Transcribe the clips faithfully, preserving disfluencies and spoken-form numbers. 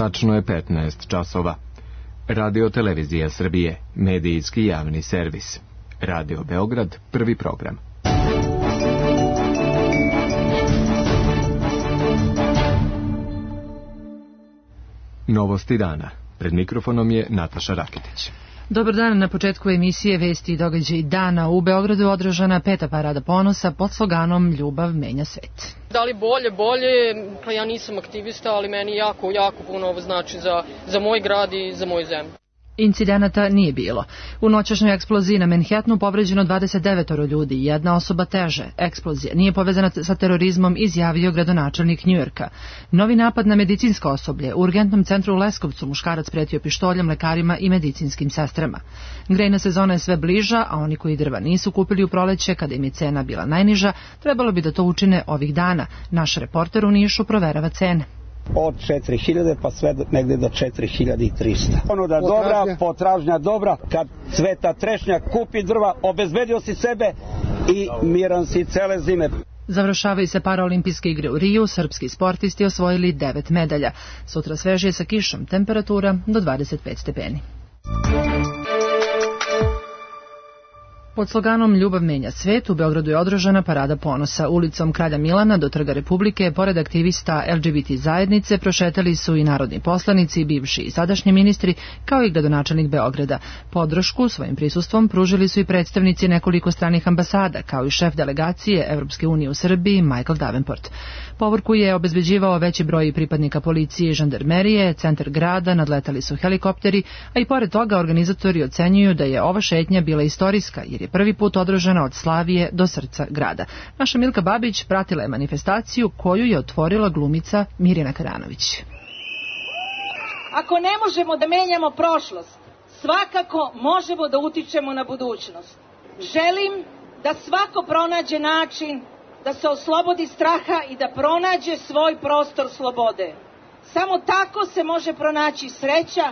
Tačno je petnaest časova. Radio Televizija Srbije, medijski javni servis. Radio Beograd, prvi program. Novosti dana. Pred mikrofonom je Nataša Rakitić. Dobar dan, na početku emisije Vesti i događaji dana. U Beogradu održana peta parada ponosa pod sloganom Ljubav menja svet. Da li bolje, bolje, pa ja nisam aktivista, ali meni jako, jako puno ovo znači za, za moj grad i za moju zemlju. Incidenata nije bilo. U noćašnjoj eksploziji na Manhattanu povređeno dvadeset devet ljudi i jedna osoba teže. Eksplozija nije povezana sa terorizmom, izjavio gradonačelnik Njujorka. Novi napad na medicinsko osoblje. U urgentnom centru u Leskovcu muškarac pretio pištoljem lekarima i medicinskim sestrama. Grejna sezona je sve bliža, a oni koji drva nisu kupili u proleće, kada im je cena bila najniža, trebalo bi da to učine ovih dana. Naš reporter u Nišu proverava cene. Od četiri hiljade pa sve negde do četiri hiljade trista. Ono da dobra, potražnja dobra, kad cveta trešnja, kupi drva, obezbedio si sebe i miran si cele zime. Završavaju se paraolimpijske igre u Riju, srpski sportisti osvojili devet medalja. Sutra svežije sa kišom, temperatura do dvadeset pet stepeni. Pod sloganom Ljubav menja svet u Beogradu je održana parada ponosa. Ulicom Kralja Milana do Trga Republike, pored aktivista L G B T zajednice, prošetali su i narodni poslanici, bivši i sadašnji ministri, kao i gradonačelnik Beograda. Podršku svojim prisustvom pružili su i predstavnici nekoliko stranih ambasada, kao i šef delegacije Evropske unije u Srbiji, Michael Davenport. Povorku je obezbeđivao veći broj pripadnika policije i žandarmerije, centar grada nadletali su helikopteri, a i pored toga organizatori ocenjuju da je ova šetnja bila istorijska, jer je prvi put održana od Slavije do srca grada. Naša Milka Babić pratila je manifestaciju koju je otvorila glumica Mirjana Karanović. Ako ne možemo da menjamo prošlost, svakako možemo da utičemo na budućnost. Želim da svako pronađe način da se oslobodi straha i da pronađe svoj prostor slobode. Samo tako se može pronaći sreća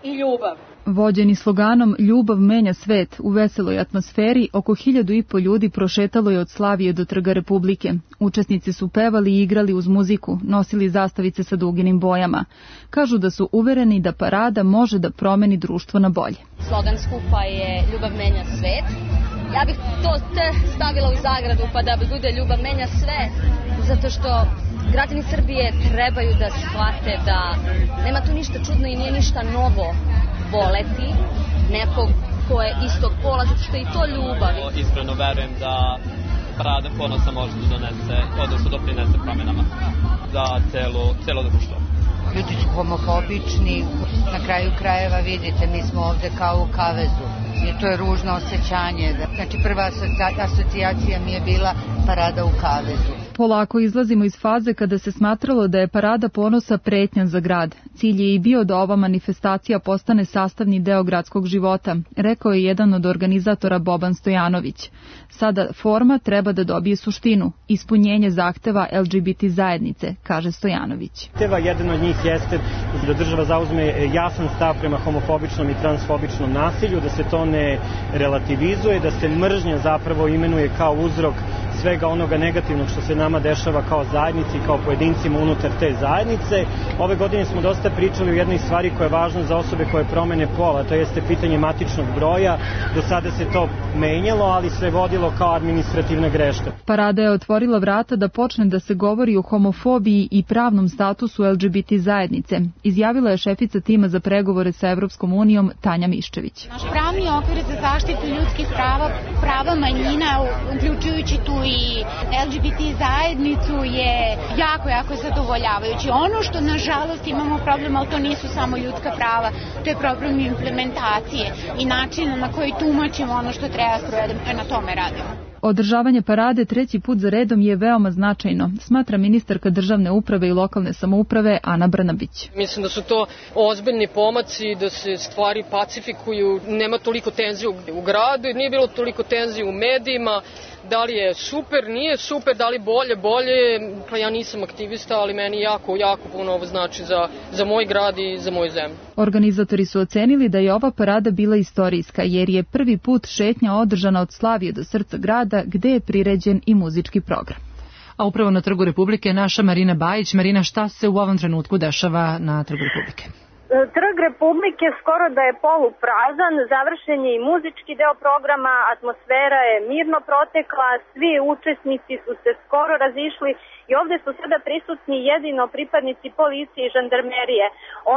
i ljubav. Vođeni sloganom Ljubav menja svet u veseloj atmosferi, oko hiljadu i po ljudi prošetalo je od Slavije do Trga Republike. Učesnici su pevali i igrali uz muziku, nosili zastavice sa duginim bojama. Kažu da su uvereni da parada može da promeni društvo na bolje. Slogan skupa je Ljubav menja svet. Ja bih to te stavila u zagradu pa da bude Ljubav menja sve, zato što građani Srbije trebaju da shvate da nema tu ništa čudno i nije ništa novo voleti nekog ko je istog pola, zato što je i to ljubav. Iskreno verujem da parada ponosa može da donese, odnosno doprinese promjenama za celo, celo društvo. Ljudi su homofobični, na kraju krajeva vidite, mi smo ovde kao u kavezu i to je ružno osjećanje. Znači prva asocijacija mi je bila parada u kavezu. Polako izlazimo iz faze kada se smatralo da je parada ponosa pretnja za grad. Cilj je i bio da ova manifestacija postane sastavni deo gradskog života, rekao je jedan od organizatora Boban Stojanović. Sada forma treba da dobije suštinu, ispunjenje zahteva L G B T zajednice, kaže Stojanović. Teva jedan od njih jeste da država zauzme jasan stav prema homofobičnom i transfobičnom nasilju, da se to ne relativizuje, da se mržnja zapravo imenuje kao uzrok svega onoga negativnog što se nama dešava kao zajednici i kao pojedincima unutar te zajednice. Ove godine smo dosta pričali o jednoj stvari koja je važna za osobe koje promene pola, to jeste pitanje matičnog broja. Do sada se to menjalo, ali se vodilo kao administrativna greška. Parada je otvorila vrata da počne da se govori o homofobiji i pravnom statusu L G B T zajednice, izjavila je šefica tima za pregovore sa Evropskom unijom Tanja Miščević. Naš pravni okvir za zaštitu ljudskih prava, prava manjina, uključujući tu i L G B T zajednicu, je jako, jako zadovoljavajući. Ono što nažalost imamo problem, ali to nisu samo ljudska prava, to je problem implementacije i načina na koji tumačimo ono što treba sprovedemo, na tome radimo. Održavanje parade treći put za redom je veoma značajno, smatra ministarka državne uprave i lokalne samouprave Ana Brnabić. Mislim da su to ozbiljni pomaci, da se stvari pacifikuju, nema toliko tenzije u gradu, nije bilo toliko tenzije u medijima. Da li je super, nije super, da li bolje, bolje, pa ja nisam aktivista, ali meni jako, jako puno ovo znači za, za moj grad i za moju zemlju. Organizatori su ocenili da je ova parada bila istorijska, jer je prvi put šetnja održana od Slavije do srca grada, gde je priređen i muzički program. a upravo na Trgu Republike je naša Marina Bajić. Marina, šta se u ovom trenutku dešava na Trgu Republike? Trg Republike skoro da je poluprazan, završen je i muzički deo programa, atmosfera je mirno protekla, svi učesnici su se skoro razišli i ovde su sada prisutni jedino pripadnici policije i žandarmerije.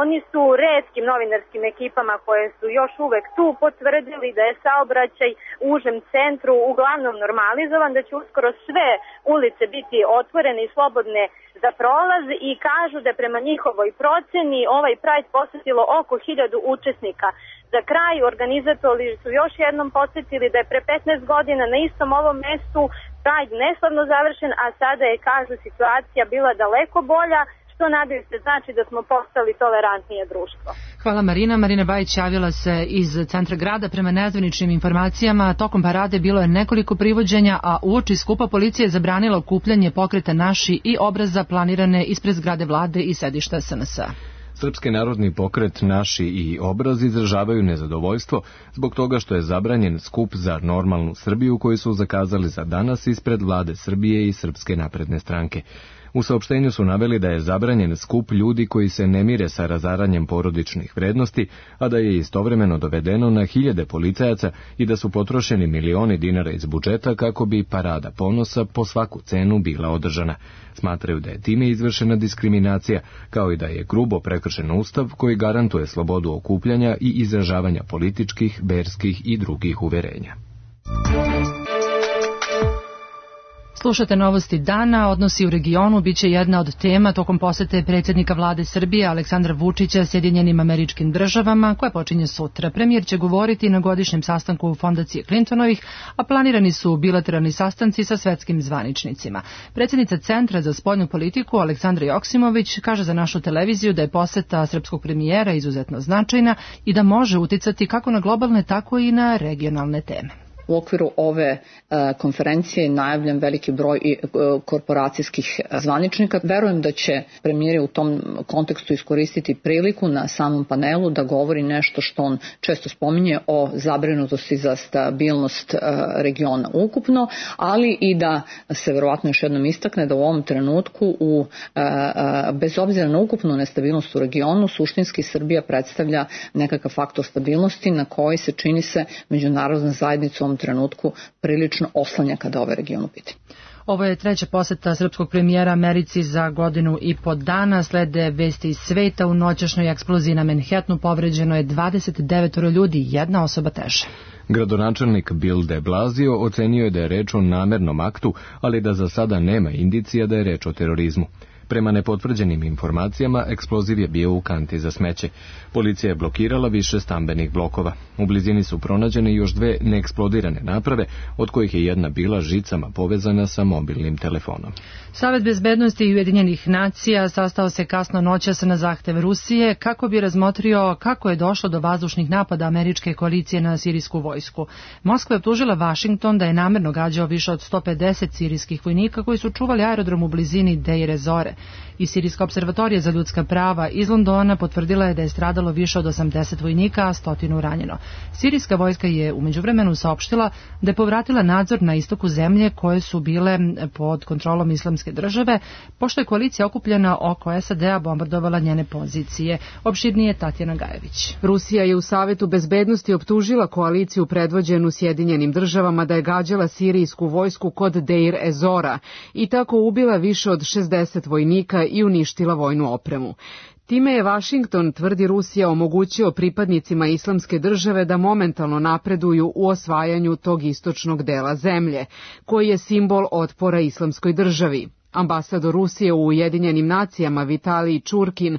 Oni su retkim novinarskim ekipama koje su još uvek tu potvrdili da je saobraćaj u užem centru uglavnom normalizovan, da će uskoro sve ulice biti otvorene i slobodne za prolaz i kažu da prema njihovoj proceni ovaj Pride posetilo oko hiljadu učesnika. Za kraj organizatori su još jednom podsjetili da je pre petnaest godina na istom ovom mestu Pride neslavno završen, a sada je, kažu, situacija bila daleko bolja, što nadaju se znači da smo postali tolerantnije društvo. Hvala Marina. Marina Bajić javila se iz centra grada. Prema nezvaničnim informacijama, tokom parade bilo je nekoliko privođenja, a uoči skupa policija je zabranila okupljanje pokreta Naši i obraza planirane ispred zgrade vlade i sedišta S N S A. Srpski narodni pokret Naši i obraz izražavaju nezadovoljstvo zbog toga što je zabranjen skup za normalnu Srbiju koji su zakazali za danas ispred vlade Srbije i Srpske napredne stranke. U saopštenju su naveli da je zabranjen skup ljudi koji se ne mire sa razaranjem porodičnih vrednosti, a da je istovremeno dovedeno na hiljade policajaca i da su potrošeni milioni dinara iz budžeta kako bi parada ponosa po svaku cenu bila održana. Smatraju da je time izvršena diskriminacija, kao i da je grubo prekršen ustav koji garantuje slobodu okupljanja i izražavanja političkih, verskih i drugih uverenja. Slušate novosti dana, odnosi u regionu biće jedna od tema tokom posete predsjednika vlade Srbije Aleksandra Vučića Sjedinjenim Američkim Državama, koja počinje sutra. Premijer će govoriti na godišnjem sastanku fondacije Clintonovih, a planirani su bilateralni sastanci sa svetskim zvaničnicima. Predsjednica Centra za spoljnu politiku Aleksandra Joksimović kaže za našu televiziju da je poseta srpskog premijera izuzetno značajna i da može uticati kako na globalne, tako i na regionalne teme. U okviru ove uh, konferencije je najavljen veliki broj i uh, korporacijskih zvaničnika. Verujem da će premijer u tom kontekstu iskoristiti priliku na samom panelu da govori nešto što on često spominje o zabrinutosti za stabilnost uh, regiona ukupno, ali i da se verovatno još jednom istakne da u ovom trenutku u, uh, uh, bez obzira na ukupnu nestabilnost u regionu, suštinski Srbija predstavlja nekakav faktor stabilnosti na koji se čini se međunarodna zajednica u trenutku prilično oslanja kada ovaj region u pitanju. Ovo je treća poseta srpskog premijera Americi za godinu i po dana. Slede vesti iz sveta. U noćašnjoj eksploziji na Manhattanu povređeno je dvadeset devet ljudi, jedna osoba teže. Gradonačelnik Bill de Blasio ocenio je da je reč o namernom aktu, ali da za sada nema indicija da je reč o terorizmu. Prema nepotvrđenim informacijama, eksploziv je bio u kanti za smeće. Policija je blokirala više stambenih blokova. U blizini su pronađene još dve neeksplodirane naprave, od kojih je jedna bila žicama povezana sa mobilnim telefonom. Savet bezbednosti Ujedinjenih nacija sastao se kasno noćas na zahtev Rusije kako bi razmotrio kako je došlo do vazdušnih napada američke koalicije na sirijsku vojsku. Moskva je optužila Vašington da je namerno gađao više od sto pedeset sirijskih vojnika koji su čuvali aerodrom u blizini Deir ez-Zore. I Sirijska observatorija za ljudska prava iz Londona potvrdila je da je stradalo više od osamdeset vojnika, a stotinu ranjeno. Sirijska vojska je u međuvremenu saopštila da je povratila nadzor na istoku zemlje koje su bile pod kontrolom Islamske države, pošto je koalicija okupljena oko S A D-a bombardovala njene pozicije. Opširnije Tatjana Gajević. Rusija je u Savetu bezbednosti optužila koaliciju predvođenu Sjedinjenim državama da je gađala sirijsku vojsku kod Deir ez-Zora i tako ubila više od šezdeset vojnika i uništila vojnu opremu. Time je Vašington, tvrdi Rusija, omogućio pripadnicima Islamske države da momentalno napreduju u osvajanju tog istočnog dela zemlje, koji je simbol otpora Islamskoj državi. Ambasador Rusije u Ujedinjenim nacijama Vitalij Čurkin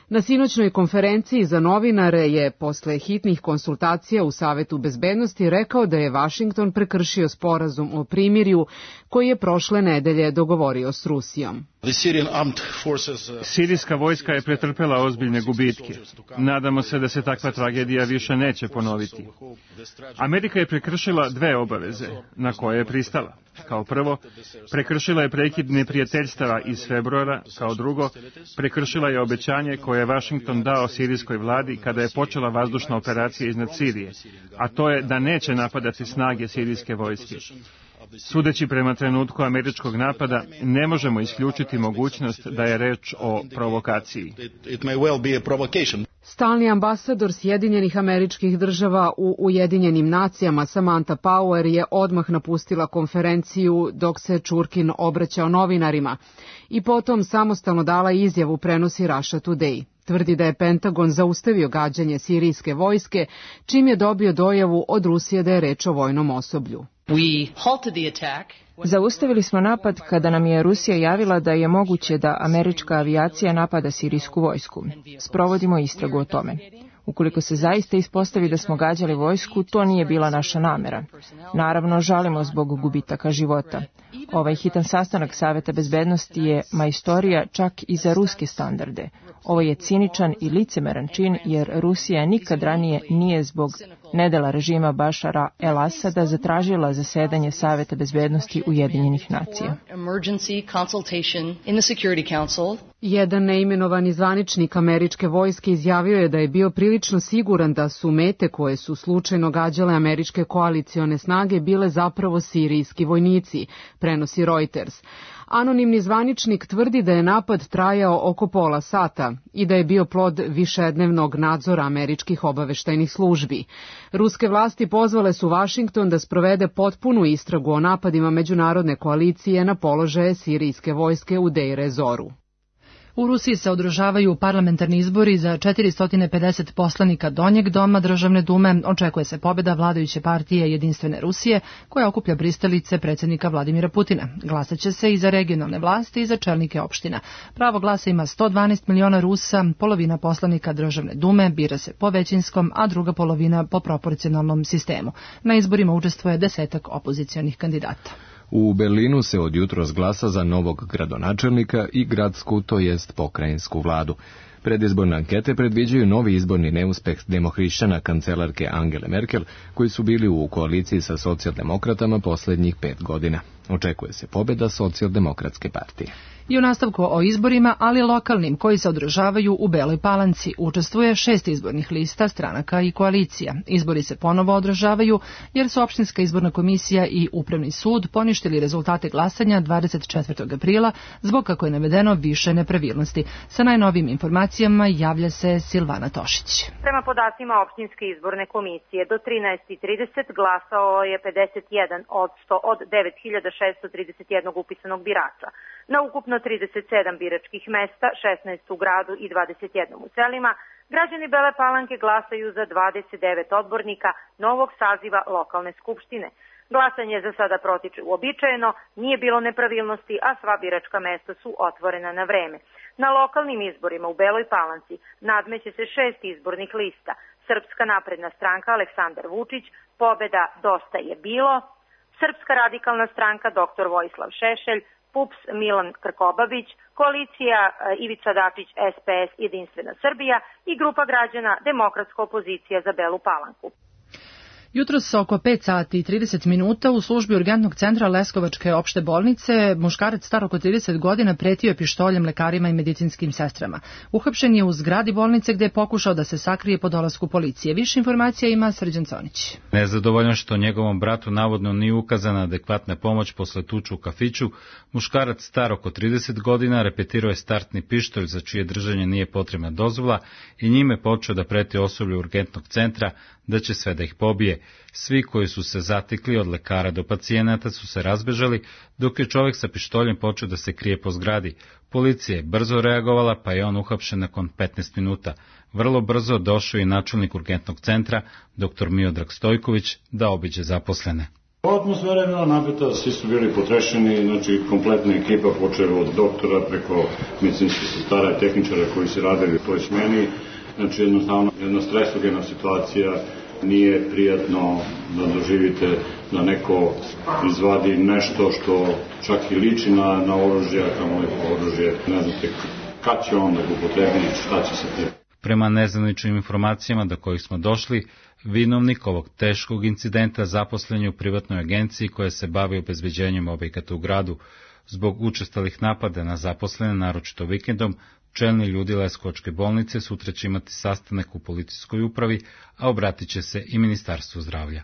na sinoćnoj konferenciji za novinare je posle hitnih konsultacija u Savetu bezbednosti rekao da je Vašington prekršio sporazum o primirju koji je prošle nedelje dogovorio s Rusijom. Sirijska vojska je pretrpela ozbiljne gubitke. Nadamo se da se takva tragedija više neće ponoviti. Amerika je prekršila dve obaveze na koje je pristala. Kao prvo, prekršila je prekid neprijateljstava iz februara, kao drugo, prekršila je obećanje koje je Vašington dao sirijskoj vladi kada je počela vazdušna operacija iznad Sirije, a to je da neće napadati snage sirijske vojske. Sudeći prema trenutku američkog napada, ne možemo isključiti mogućnost da je reč o provokaciji. Stalni ambasador Sjedinjenih Američkih Država u Ujedinjenim nacijama Samantha Power je odmah napustila konferenciju dok se Čurkin obraćao novinarima i potom samostalno dala izjavu, prenosi Russia Today. Tvrdi da je Pentagon zaustavio gađanje sirijske vojske, čim je dobio dojavu od Rusije da je reč o vojnom osoblju. Zaustavili smo napad kada nam je Rusija javila da je moguće da američka avijacija napada sirijsku vojsku. Sprovodimo istragu o tome. Ukoliko se zaista ispostavi da smo gađali vojsku, to nije bila naša namera. Naravno, žalimo zbog gubitaka života. Ovaj hitan sastanak Saveta bezbednosti je majstorija čak i za ruske standarde. Ovo je ciničan i licemeran čin, jer Rusija nikad ranije nije zbog nedela režima Bašara el-Asada zatražila zasedanje Saveta bezbednosti Ujedinjenih nacija. Jedan neimenovani zvaničnik američke vojske izjavio je da je bio prilično siguran da su mete koje su slučajno gađale američke koalicione snage bile zapravo sirijski vojnici, prenosi Reuters. Anonimni zvaničnik tvrdi da je napad trajao oko pola sata i da je bio plod višednevnog nadzora američkih obaveštajnih službi. Ruske vlasti pozvale su Vašington da sprovede potpunu istragu o napadima međunarodne koalicije na položaje sirijske vojske u Deir ez-Zoru. U Rusiji se održavaju parlamentarni izbori za četiristo pedeset poslanika Donjeg doma Državne dume. Očekuje se pobjeda vladajuće partije Jedinstvene Rusije, koja okuplja pristalice predsjednika Vladimira Putina. Glasaće se i za regionalne vlasti i za čelnike opština. Pravo glasa ima sto dvanaest miliona Rusa, polovina poslanika Državne dume bira se po većinskom, a druga polovina po proporcionalnom sistemu. Na izborima učestvuje desetak opozicionih kandidata. U Berlinu se od jutros glasa za novog gradonačelnika i gradsku, to jest pokrajinsku vladu. Predizborne ankete predviđaju novi izborni neuspeh demohrišćana kancelarke Angele Merkel, koji su bili u koaliciji sa socijaldemokratama posljednjih pet godina. Očekuje se pobjeda socijaldemokratske partije. I u nastavku o izborima, ali lokalnim, koji se održavaju u Beloj Palanci, učestvuje šest izbornih lista, stranaka i koalicija. Izbori se ponovo održavaju jer su Opštinska izborna komisija i Upravni sud poništili rezultate glasanja dvadeset četvrtog aprila zbog, kako je navedeno, više nepravilnosti. Sa najnovijim informacijama javlja se Silvana Tošić. Prema podacima Opštinske izborne komisije, do trinaest i trideset glasao je pedeset jedan odsto od devet hiljada šesto trideset jedan upisanog birača. Na ukupno trideset sedam biračkih mesta, šesnaest u gradu i dvadeset jedan u selima, građani Bele Palanke glasaju za dvadeset devet odbornika novog saziva lokalne skupštine. Glasanje za sada protiče uobičajeno, nije bilo nepravilnosti, a sva biračka mesta su otvorena na vreme. Na lokalnim izborima u Beloj Palanci nadmeće se šest izbornih lista. Srpska napredna stranka Aleksandar Vučić, pobeda Dosta je bilo, Srpska radikalna stranka doktor Vojislav Šešelj, P U P S Milan Krkobabić, koalicija Ivica Dačić es pe es Jedinstvena Srbija i grupa građana Demokratska opozicija za Belu Palanku. Jutros oko pet sati i trideset minuta u službi urgentnog centra Leskovačke opšte bolnice muškarac star oko trideset godina pretio je pištoljem lekarima i medicinskim sestrama. Uhapšen je u zgradi bolnice gde je pokušao da se sakrije po dolasku policije. Više informacija ima Srđan Conić. Nezadovoljan što njegovom bratu navodno nije ukazana adekvatna pomoć posle tuče u kafiću, muškarac star oko trideset godina repetirao je startni pištolj za čije držanje nije potrebna dozvola i njime počeo da preti osoblju urgentnog centra da će sve da ih pobije. Svi koji su se zatekli od lekara do pacijenata su se razbežali, dok je čovjek sa pištoljem počeo da se krije po zgradi. Policija je brzo reagovala, pa je on uhapšen nakon petnaest minuta. Vrlo brzo došao je načelnik urgentnog centra, doktor Miodrag Stojković, da obiđe zaposlene. Atmosfera je bila napeta, svi su bili potrešeni, znači kompletna ekipa počela od doktora preko medicinskih sestara i tehničara koji se radili u toj smeni. Znači jednostavno jedna stresogena situacija, nije prijatno da doživite da neko izvadi nešto što čak i liči na, na oružje, a kamo je oružje, ne znate kad će on da ga upotrebi, šta će se te. Prema nezvaničnim informacijama do kojih smo došli, vinovnik ovog teškog incidenta zaposlen je u privatnoj agenciji koja se bavi obezbeđenjem objekata u gradu. Zbog učestalih napada na zaposlene, naročito vikendom, čelni ljudi Leskovačke bolnice sutra će imati sastanak u policijskoj upravi, a obratit će se i Ministarstvu zdravlja.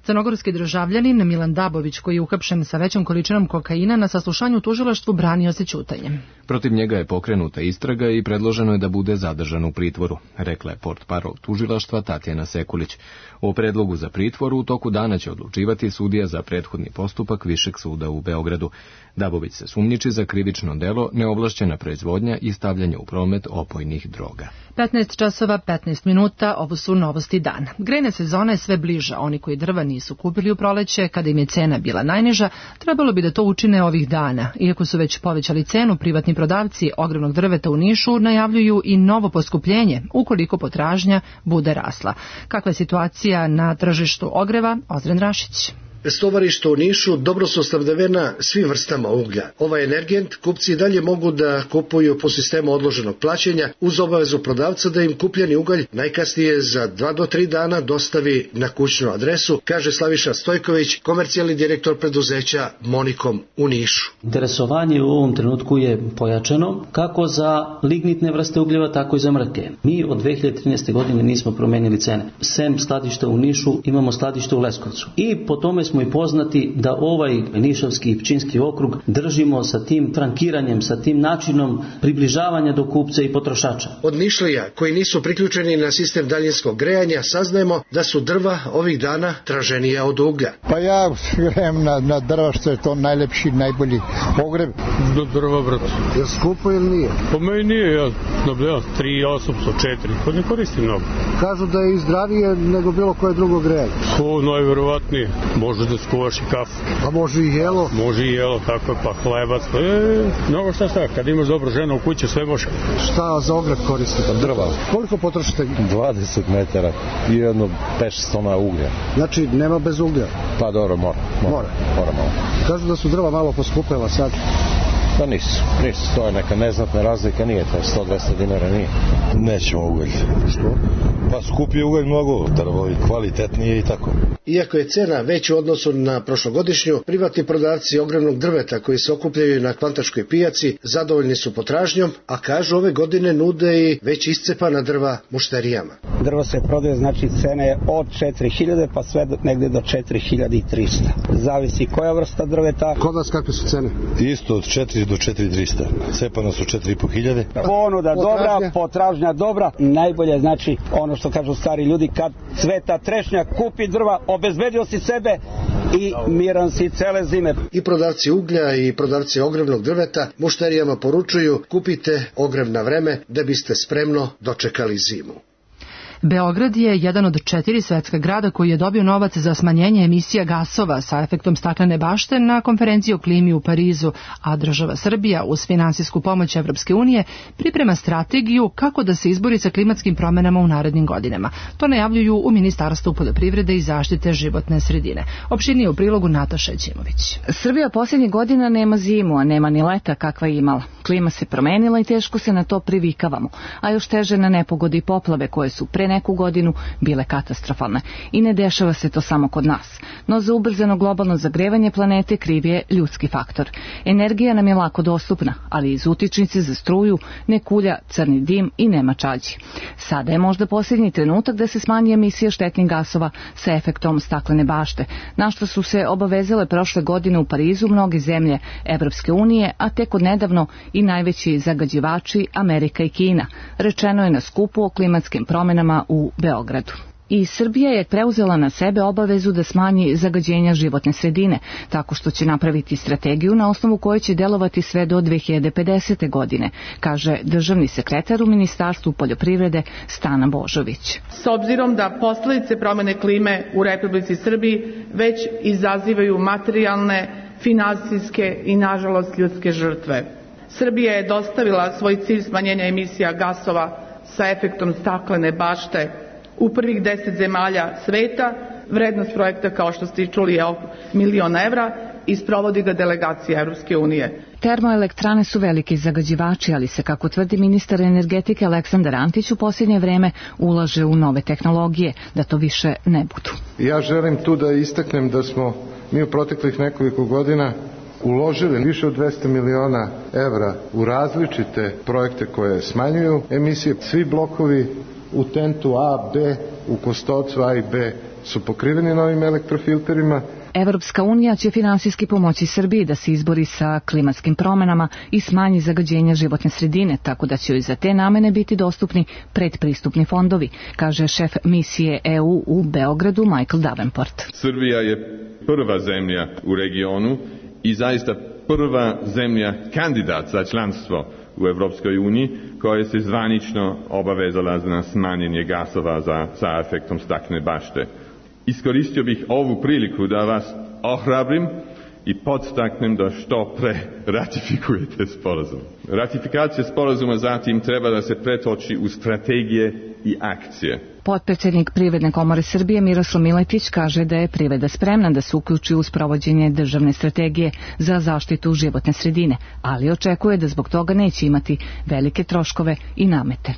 Crnogorski državljanin Milan Dabović, koji je uhapšen sa većom količinom kokaina, na saslušanju u tužilaštvu branio se ćutanjem. Protiv njega je pokrenuta istraga i predloženo je da bude zadržan u pritvoru, rekla je portparol tužilaštva Tatjana Sekulić. O predlogu za pritvor u toku dana će odlučivati sudija za prethodni postupak Višeg suda u Beogradu. Dabović se sumnjiči za krivično delo neovlašćena proizvodnja i stavljanje u promet opojnih droga. petnaest časova petnaest minuta, ovo su novosti dana. Grejna sezona je sve bliža. Oni koji drva nisu kupili u proleće, kada im je cena bila najniža, trebalo bi da to učine ovih dana. Iako su već povećali cenu, privatni prodavci ogromnog drveta u Nišu najavljuju i novo poskupljenje, ukoliko potražnja bude rasla. Kakva je situacija na tržištu ogreva? Ozren Rašić. Stovarišta u Nišu dobro su snabdevena svim vrstama uglja. Ovaj energent kupci i dalje mogu da kupuju po sistemu odloženog plaćanja uz obavezu prodavca da im kupljeni ugalj najkasnije za dva do tri dana dostavi na kućnu adresu, kaže Slaviša Stojković, komercijalni direktor preduzeća Monikom u Nišu. Interesovanje u ovom trenutku je pojačano kako za lignitne vrste ugljeva, tako i za mrke. Mi od dve hiljade trinaeste. godine nismo promenili cene. Sem skladišta u Nišu imamo skladište u Leskovcu. I po tome smo i poznati da ovaj Nišavski i Pčinjski okrug držimo sa tim frankiranjem, sa tim načinom približavanja do kupca i potrošača. Od Nišlija koji nisu priključeni na sistem daljinskog grejanja saznajemo da su drva ovih dana traženija od uglja. Pa ja grejem na, na drva što je to najlepši, najbolji ogreb. Do drva, brat. Je skupo ili nije? Po meni nije, ja nabljam tri, osamsto, četiri, pa ne koristim mnogo. Kažu da je i zdravije nego bilo koje drugo grejanje. O, najverovatnije. Može da skuvaš i kafu. Pa može i jelo. Može i jelo, tako je, pa hlebac. Pa je, mnogo šta sta, kad imaš dobro ženu u kući, sve može. Šta za ogreb koristite? Drva. Koliko potrošite? dvadeset metara i jedno pet tona uglja. Znači, nema bez uglja? Pa dobro, mora. Mora, mora. mora malo. Kažu da su drva malo poskupela sad. Pa nisu, nisu, to je neka neznatna razlika, nije to, sto do dvesta dinara nije. Nećemo ugalj. Što? Pa skupi ugalj mnogo, drvo i kvalitetnije i tako. Iako je cena već u odnosu na prošlogodišnju, privatni prodavci ogromnog drveta koji se okupljaju na Kvantaškoj pijaci zadovoljni su potražnjom, a kažu ove godine nude i već iscepana drva mušterijama. Drvo se prodaje, znači cene od četiri hiljade pa sve negde do četiri hiljade trista. Zavisi koja vrsta drveta. Kod vas kakve su cene? Isto od četiri do četiri trista. Cepano su četiri i po hiljade. Ponuda dobra, potražnja dobra. Najbolje znači ono što kažu stari ljudi, kad cveta trešnja, kupi drva, obezbedio si sebe i miran si cele zime. I prodavci uglja i prodavci ogrevnog drveta mušterijama poručuju: kupite ogrev na vreme da biste spremno dočekali zimu. Beograd je jedan od četiri svetska grada koji je dobio novac za smanjenje emisija gasova sa efektom staklene bašte na konferenciji o klimi u Parizu, a država Srbija uz finansijsku pomoć Evropske unije priprema strategiju kako da se izbori sa klimatskim promenama u narednim godinama. To najavljuju u Ministarstvu poljoprivrede i zaštite životne sredine. Opširnije u prilogu Nataša Ćimović. Srbija posljednjih godina nema zimu, a nema ni leta kakva je imala. Klima se promenila i teško se na to privikavamo, a još teže na nepogode i poplave koje su pre neku godinu bile katastrofalne. I ne dešava se to samo kod nas. No za ubrzano globalno zagrevanje planete kriv je ljudski faktor. Energija nam je lako dostupna, ali iz utičnice za struju ne kulja crni dim i nema čađi. Sada je možda posljednji trenutak da se smanji emisija štetnih gasova sa efektom staklene bašte, na što su se obavezale prošle godine u Parizu mnoge zemlje Evropske unije, a tek od nedavno i najveći zagađivači Amerika i Kina, rečeno je na skupu o klimatskim promenama u Beogradu. I Srbija je preuzela na sebe obavezu da smanji zagađenja životne sredine, tako što će napraviti strategiju na osnovu koje će delovati sve do dve hiljade pedesete. godine, kaže državni sekretar u Ministarstvu poljoprivrede Stana Božović. S obzirom da posledice promene klime u Republici Srbiji već izazivaju materijalne, finansijske i nažalost ljudske žrtve. Srbija je dostavila svoj cilj smanjenja emisija gasova sa efektom staklene bašte u prvih deset zemalja sveta. Vrednost projekta, kao što ste i čuli, je oko milion evra i sprovodi ga delegacija Evropske unije. Termoelektrane su veliki zagađivači, ali se, kako tvrdi ministar energetike Aleksandar Antić, u posljednje vreme ulaže u nove tehnologije, da to više ne budu. Ja želim tu da istaknem da smo mi u proteklih nekoliko godina uložili više od dvesta miliona evra u različite projekte koje smanjuju emisije. Svi blokovi u Tentu A, B, u Kostovcu A i B su pokriveni novim elektrofilterima. Evropska unija će finansijski pomoći Srbiji da se izbori sa klimatskim promjenama i smanji zagađenje životne sredine, tako da će joj za te namene biti dostupni predpristupni fondovi, kaže šef misije E U u Beogradu Michael Davenport. Srbija je prva zemlja u regionu i zaista prva zemlja kandidat za članstvo u Evropskoj uniji koja se zvanično obavezala na smanjenje gasova za, sa efektom staklene bašte. Iskoristio bih ovu priliku da vas ohrabrim i podstaknem da što pre ratifikujete sporazum. Ratifikacija sporazuma zatim treba da se pretoči u strategije i akcije. Potpredsjednik Privredne komore Srbije Miroslav Miletić kaže da je privreda spremna da se uključi u sprovođenje državne strategije za zaštitu životne sredine, ali očekuje da zbog toga neće imati velike troškove i namete.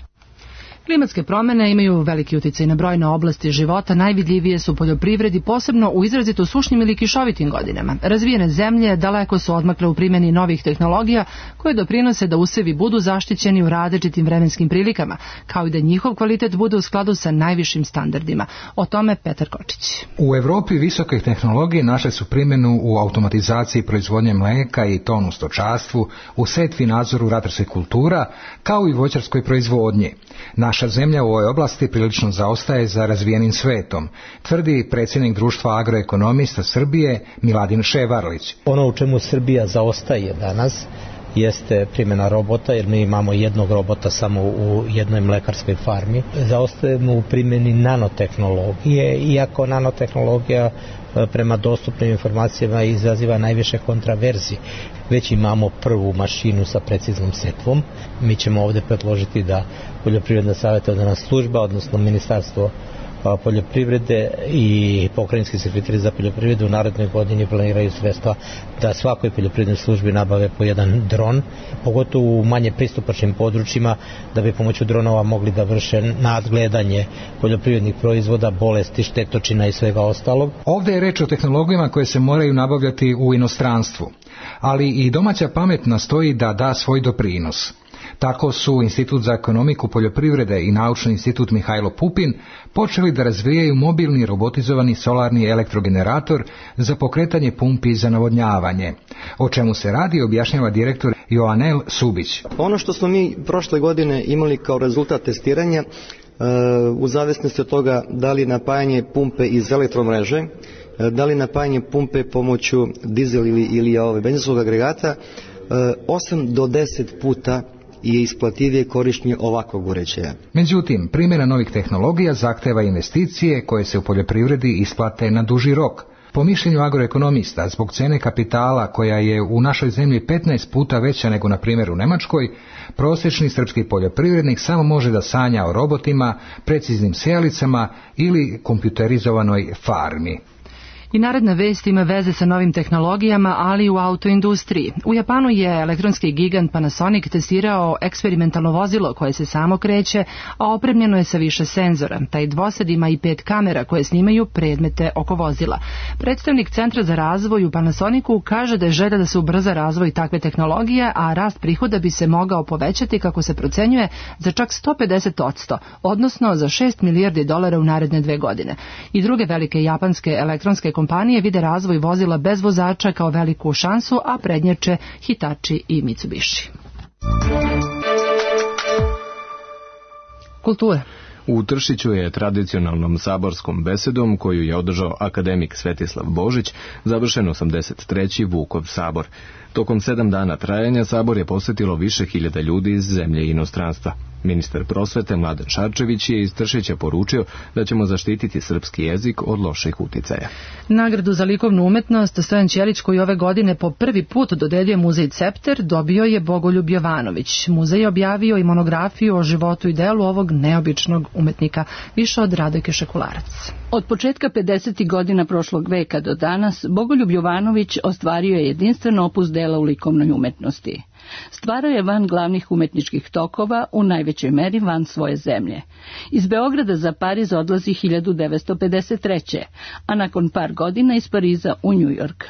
Klimatske promjene imaju veliki utjecaj na brojne oblasti života, najvidljivije su u poljoprivredi, posebno u izrazito sušnim ili kišovitim godinama. Razvijene zemlje daleko su odmakle u primjeni novih tehnologija koje doprinose da usevi budu zaštićeni u različitim vremenskim prilikama, kao i da njihov kvalitet bude u skladu sa najvišim standardima. O tome Petar Kočić. U Evropi visoke tehnologije našle su primjenu u automatizaciji proizvodnje mlijeka i tonu u stočarstvu, u setvi nadzoru ratarskih kultura, kao i voćarskoj proizvodnji. Naša zemlja u ovoj oblasti prilično zaostaje za razvijenim svetom, tvrdi predsjednik društva agroekonomista Srbije Miladin Ševarlić. Ono u čemu Srbija zaostaje danas jeste primjena robota, jer mi imamo jednog robota samo u jednoj mlekarskoj farmi. Zaostajemo u primjeni nanotehnologije, iako nanotehnologija prema dostupnim informacijama izaziva najviše kontraverzije. Već imamo prvu mašinu sa preciznom setvom. Mi ćemo ovdje predložiti da Poljoprivredna savjetodavna služba, odnosno Ministarstvo poljoprivrede i pokrajinski sekretari za poljoprivredu u narednoj godini planiraju sredstva da svakoj poljoprivrednoj službi nabave po jedan dron, pogotovo u manje pristupačnim područjima, da bi pomoću dronova mogli da vrše nadgledanje poljoprivrednih proizvoda, bolesti, štetočina i svega ostalog. Ovdje je reč o tehnologijama koje se moraju nabavljati u inostranstvu, ali i domaća pamet nastoji da da svoj doprinos. Tako su Institut za ekonomiku poljoprivrede i Naučni institut Mihajlo Pupin počeli da razvijaju mobilni robotizovani solarni elektrogenerator za pokretanje pumpi za navodnjavanje. O čemu se radi objašnjava direktor Joanel Subić. Ono što smo mi prošle godine imali kao rezultat testiranja, u zavisnosti od toga da li napajanje pumpe iz elektromreže, da li napajanje pumpe pomoću dizel ili, ili ovaj, benzinskog agregata, osam do deset puta je isplativije korištenje ovakvog uređaja. Međutim, primjena novih tehnologija zahteva investicije koje se u poljoprivredi isplate na duži rok. Po mišljenju agroekonomista, zbog cene kapitala koja je u našoj zemlji petnaest puta veća nego na primjer u Nemačkoj, prosječni srpski poljoprivrednik samo može da sanja o robotima, preciznim sejalicama ili kompjuterizovanoj farmi. I naredna vest ima veze sa novim tehnologijama, ali i u autoindustriji. U Japanu je elektronski gigant Panasonic testirao eksperimentalno vozilo koje se samo kreće, a opremljeno je sa više senzora. Taj dvosed ima i pet kamera koje snimaju predmete oko vozila. Predstavnik Centra za razvoj u Panasonicu kaže da je želja da se ubrza razvoj takve tehnologije, a rast prihoda bi se mogao povećati, kako se procenjuje, za čak sto pedeset posto, odnosno za šest milijardi dolara u naredne dve godine. I druge velike japanske elektronske kompanije vide razvoj vozila bez vozača kao veliku šansu, a prednjače Hitachi i Mitsubishi. Kultura. U Tršiću je tradicionalnom saborskom besedom, koju je održao akademik Svetislav Božić, završen osamdeset treći Vukov sabor. Tokom sedam dana trajanja sabor je posjetilo više hiljada ljudi iz zemlje i inostranstva. Ministar prosvete Mladen Šarčević je iz Tršića poručio da ćemo zaštititi srpski jezik od loših uticaja. Nagradu za likovnu umetnost Stojan Ćelić, koji ove godine po prvi put dodeljuje muzej Cepter, dobio je Bogoljub Jovanović. Muzej je objavio i monografiju o životu i delu ovog neobičnog umetnika. Više od Radojke Šekularac. Od početka pedesetih godina prošlog veka do danas, Bogoljub Jovanović ostvario je jedinstven opus dela u likovnoj umetnosti. Stvarao je van glavnih umetničkih tokova, u najvećoj meri van svoje zemlje. Iz Beograda za Pariz odlazi hiljadu devetsto pedeset treće. a nakon par godina iz Pariza u New York.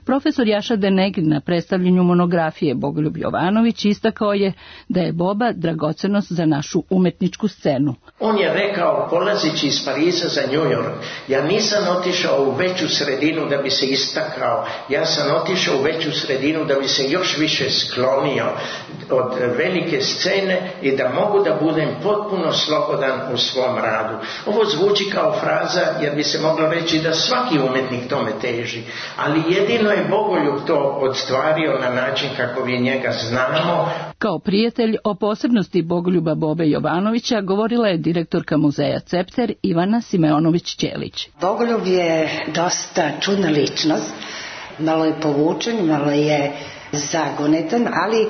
Profesor Jaša Denegin na predstavljanju monografije Bogoljub Jovanović istakao je da je Boba dragocenost za našu umetničku scenu. On je rekao, polazeći iz Pariza za New York, ja nisam otišao u veću sredinu da bi se istakao, ja sam otišao u veću sredinu da bi se još više sklonio od velike scene i da mogu da budem potpuno slobodan u svom radu. Ovo zvuči kao fraza jer bi se moglo reći da svaki umetnik tome teži, ali jedino je Bogoljub to odstvario na način kako vi njega znamo. Kao prijatelj o posebnosti Bogoljuba Bobe Jovanovića govorila je direktorka muzeja Cepter Ivana Simeonović-Ćelić. Bogoljub je dosta čudna ličnost, malo je povučen, malo je zagonetan, ali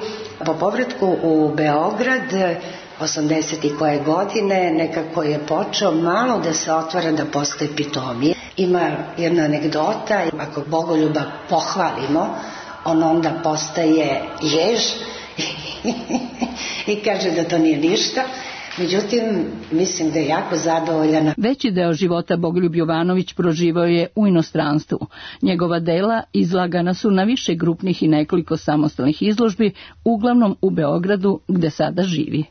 po povratku u Beograd osamdeset i koje godine nekako je počeo malo da se otvara, da postoje pitomije. Ima jedna anegdota, ako Bogoljuba pohvalimo, on onda postaje jež i kaže da to nije ništa. Međutim, mislim da je jako zadovoljana. Veći deo života Bogoljub Jovanović proživao je u inostranstvu. Njegova dela izlagana su na više grupnih i nekoliko samostalnih izložbi, uglavnom u Beogradu gde sada živi.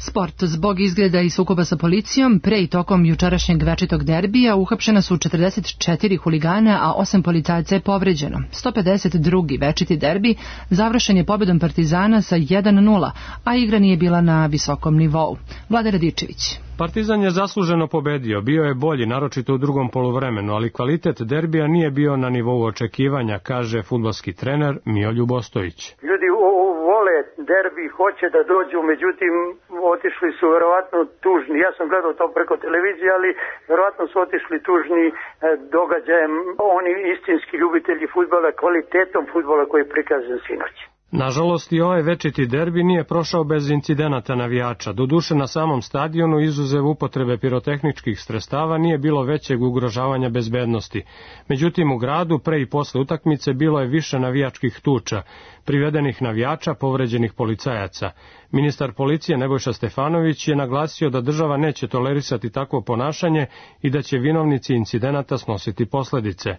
Sport. Zbog izgleda i sukoba sa policijom, pre i tokom jučerašnjeg večitog derbija uhapšena su četrdeset četiri huligana, a osam policajaca je povređeno. sto pedeset drugi večiti derbi završen je pobedom Partizana sa jedan nula, a igra nije bila na visokom nivou. Vlada Radičević. Partizan je zasluženo pobedio, bio je bolji, naročito u drugom poluvremenu, ali kvalitet derbija nije bio na nivou očekivanja, kaže fudbalski trener Mijoljub Ostojić. Ljudi vole derbi, hoće da dođu, međutim otišli su verovatno tužni. Ja sam gledao to preko televizije, ali verovatno su otišli tužni događajem. Oni istinski ljubitelji fudbala, kvalitetom fudbala koji je prikazan sinoć. Nažalost, i ovaj večiti derbi nije prošao bez incidenata navijača. Doduše, na samom stadionu, izuzev upotrebe pirotehničkih sredstava, nije bilo većeg ugrožavanja bezbednosti. Međutim, u gradu, pre i posle utakmice, bilo je više navijačkih tuča, privedenih navijača, povređenih policajaca. Ministar policije Nebojša Stefanović je naglasio da država neće tolerisati takvo ponašanje i da će vinovnici incidenata snositi posledice.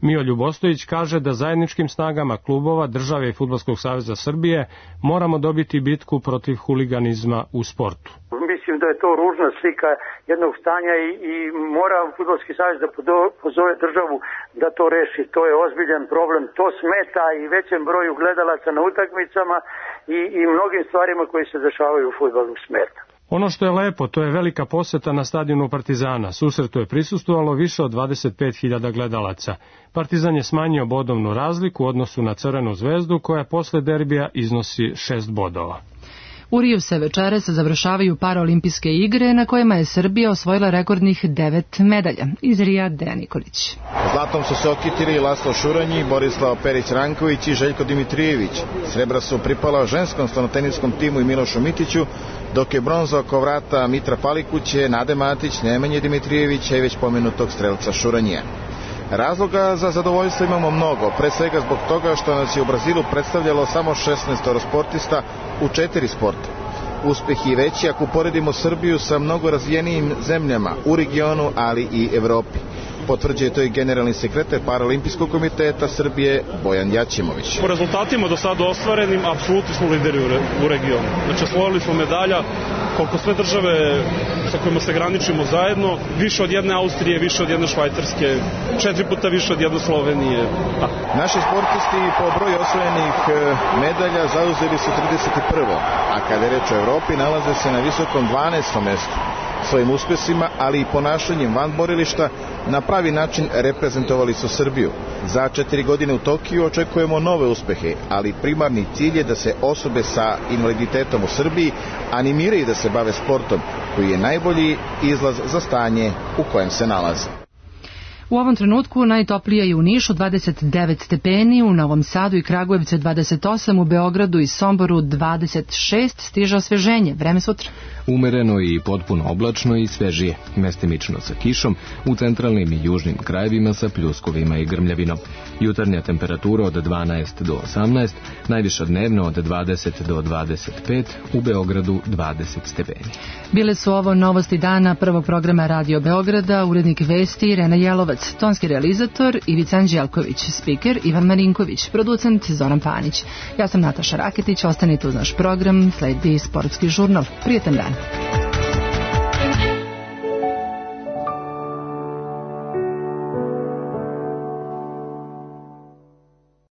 Mijoljub Ostojić kaže da zajedničkim snagama klubova, države i Fudbalskog saveza Srbije moramo dobiti bitku protiv huliganizma u sportu. Mislim da je to ružna slika jednog stanja i, i mora Fudbalski savez da pozove državu da to reši. To je ozbiljan problem. To smeta i većem broju gledalaca na utakmicama i, i mnogim stvarima koji se dešavaju u fudbalu smeta. Ono što je lepo, to je velika poseta na stadionu Partizana. Susretu je prisustvovalo više od dvadeset pet hiljada gledalaca. Partizan je smanjio bodovnu razliku u odnosu na Crvenu zvezdu, koja posle derbija iznosi šest bodova. U Riju se večeras završavaju paraolimpijske igre na kojima je Srbija osvojila rekordnih devet medalja. Iz Rija, Dejan Nikolić. Zlatom su se okitili Laslo Šuranji, Borislav Perić-Ranković i Željko Dimitrijević. Srebra su pripala ženskom stanoteniskom timu i Milošu Mitiću, dok je bronza oko vrata Mitra Palikuće, Nade Matić, Nemanje Dimitrijevića i već pomenutog strelca Šuranjija. Razloga za zadovoljstvo imamo mnogo, pre svega zbog toga što nas je u Brazilu predstavljalo samo šesnaest sportista u četiri sporta. Uspeh je veći ako uporedimo Srbiju sa mnogo razvijenijim zemljama u regionu, ali i Evropi. Potvrđuje to i generalni sekretar Paraolimpijskog komiteta Srbije Bojan Jaćimović. Po rezultatima do sada ostvarenim, apsolutno smo lideri u regionu. Znači, osvojili smo medalja koliko sve države sa kojima se graničimo zajedno, više od jedne Austrije, više od jedne Švajcarske, četiri puta više od jedne Slovenije. A. Naši sportisti po broju osvojenih medalja zauzeli su trideset prvo, a kada je reč o Evropi nalaze se na visokom dvanaestom mestu. Svojim uspesima, ali i ponašanjem van borilišta, na pravi način reprezentovali su Srbiju. Za četiri godine u Tokiju očekujemo nove uspehe, ali primarni cilj je da se osobe sa invaliditetom u Srbiji animiraju da se bave sportom, koji je najbolji izlaz za stanje u kojem se nalaze. U ovom trenutku najtoplije je u Nišu dvadeset devet stepeni, u Novom Sadu i Kragujevcu dvadeset osam, u Beogradu i Somboru dvadeset šest, stiže osveženje. Vreme sutra. Umereno i potpuno oblačno i svežije, mestimično sa kišom, u centralnim i južnim krajevima sa pljuskovima i grmljavinom. Jutarnja temperatura od dvanaest do osamnaest, najviša dnevno od dvadeset do dvadeset pet, u Beogradu dvadeset stepeni. Bile su ovo novosti dana prvog programa Radio Beograda, urednik vesti Irena Jelovac, Lutovac, tonski realizator Ivica Anđelković, spiker Ivan Marinković, producent Zoran Panić. Ja sam Nataša Raketić, ostanite uz naš program, sledi sportski žurnal. Prijetan dan.